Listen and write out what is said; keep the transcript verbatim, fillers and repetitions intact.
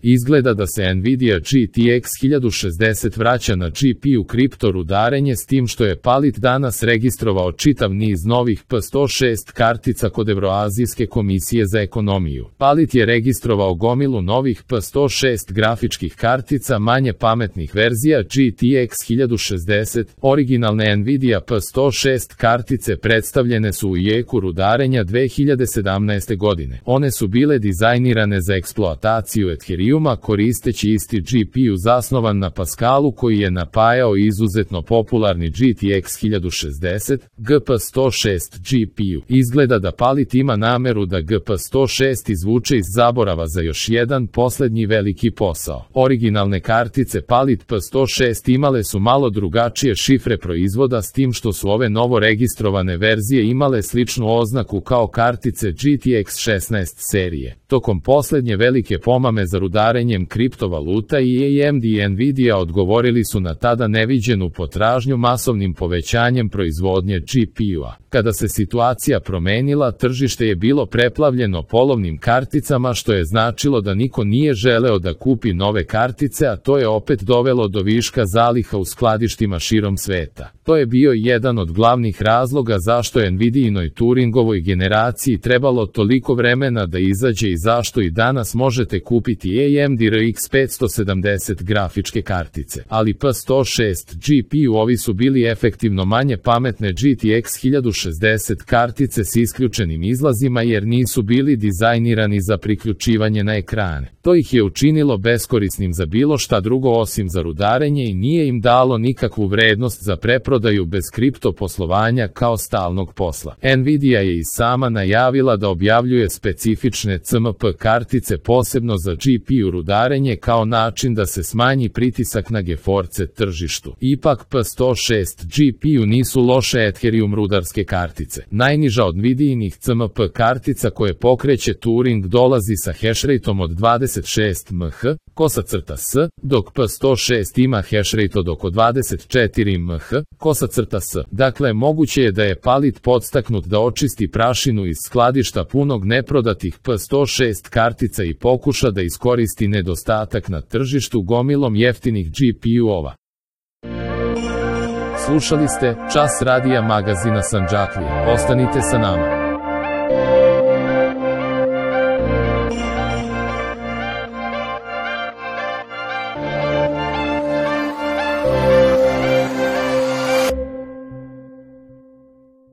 Izgleda da se Nvidia G T X hiljadu šezdeset vraća na G P U kripto rudarenje, s tim što je Palit danas registrovao čitav niz novih P sto šest kartica kod Evroazijske komisije za ekonomiju. Palit je registrovao gomilu novih P sto šest grafičkih kartica manje pametnih verzija G T X hiljadu šezdeset. Originalne Nvidia P sto šest kartice predstavljene su u jeku rudarenja dve hiljade sedamnaeste. godine. One su bile dizajnirane za eksploataciju Ethereuma koristeći isti G P U zasnovan na Pascalu koji je napajao izuzetno popularni G T X hiljadu šezdeset, G P sto šest G P U. Izgleda da Palit ima nameru da G P sto šest izvuče iz zaborava za još jedan poslednji veliki posao. Originalne kartice Palit P sto šest imale su malo drugačije šifre proizvoda, s tim što su ove novo registrovane verzije imale sličnu oznaku kao kartice G T X šesnaest serije. Tokom poslednje velike pomame za rudarenjem kriptovaluta i A M D i Nvidia odgovorili su na tada neviđenu potražnju masovnim povećanjem proizvodnje G P U-a. Kada se situacija promenila, tržište je bilo preplavljeno polovnim karticama, što je značilo da niko nije želeo da kupi nove kartice, a to je opet dovelo do viška zaliha u skladištima širom sveta. To je bio jedan od glavnih razloga zašto je Nvidiinoj Turingovoj generaciji trebalo toliko vremena da izađe i zašto i danas možete kupiti A M D R X petsto sedamdeset grafičke kartice. Ali P sto šest G P U-ovi su bili efektivno manje pametne G T X hiljadu šezdeset kartice s isključenim izlazima jer nisu bili dizajnirani za priključivanje na ekrane. To ih je učinilo beskorisnim za bilo šta drugo osim za rudarenje i nije im dalo nikakvu vrednost za preprodaju bez kripto poslovanja kao stalnog posla. Nvidia je i sama najavila da objavljuje specifične C M P kartice posebno za G P U rudarenje kao način da se smanji pritisak na GeForce tržištu. Ipak P sto šest G P U nisu loše Ethereum rudarske kartice. Najniža od Nvidiinih C M P kartica koje pokreće Turing dolazi sa hashrateom od dvadeset šest megaherca, kosa crta s, dok P sto šest ima hashrate od oko dvadeset četiri megaherca, kosa crta s. Dakle, moguće je da je Palit podstaknut da očisti prašinu iz skladišta punog neprodatih P sto šest kartica i pokuša da iskoristi nedostatak na tržištu gomilom jeftinih G P U-ova. Slušali ste Čas radija magazina Sandžaklije. Ostanite sa nama.